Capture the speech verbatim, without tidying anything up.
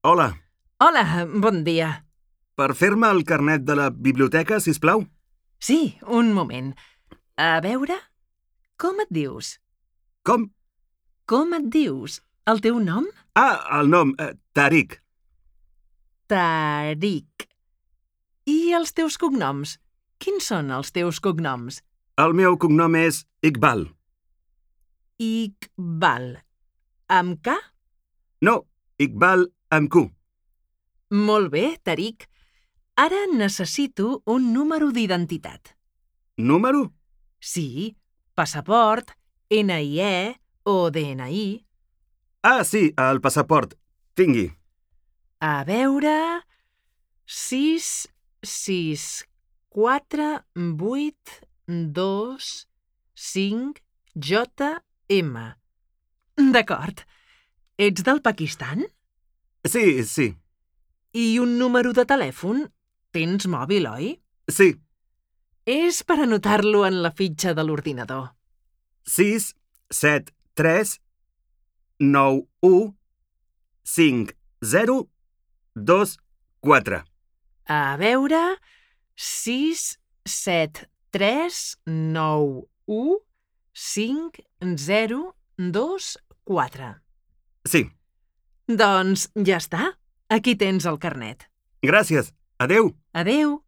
Hola. Hola, bon dia. Per fer-me el carnet de la biblioteca, sisplau? Sí, un moment. A veure, com et dius? Com? Com et dius? El teu nom? Ah, el nom, eh, Tariq. Tariq. I els teus cognoms? Quins són els teus cognoms? El meu cognom és Iqbal. Iqbal. Amb K? No, Iqbal amb Q. Molt bé, Tariq. Ara necessito un número d'identitat. Número? Sí, passaport, ena i e o de ena i. Ah, sí, el passaport. Tingui. A veure... sis, sis, quatre, vuit, dos, cinc, jota, ema. D'acord. Ets del Pakistan? Sí, sí. I un número de telèfon? Tens mòbil, oi? Sí. És per anotar-lo en la fitxa de l'ordinador. sis, set, tres, nou, u, cinc, zero, dos, quatre. A veure... sis, set, tres, nou, u, cinc, zero, dos, quatre. Sí. Doncs ja està. Aquí tens el carnet. Gràcies. Adeu. Adeu.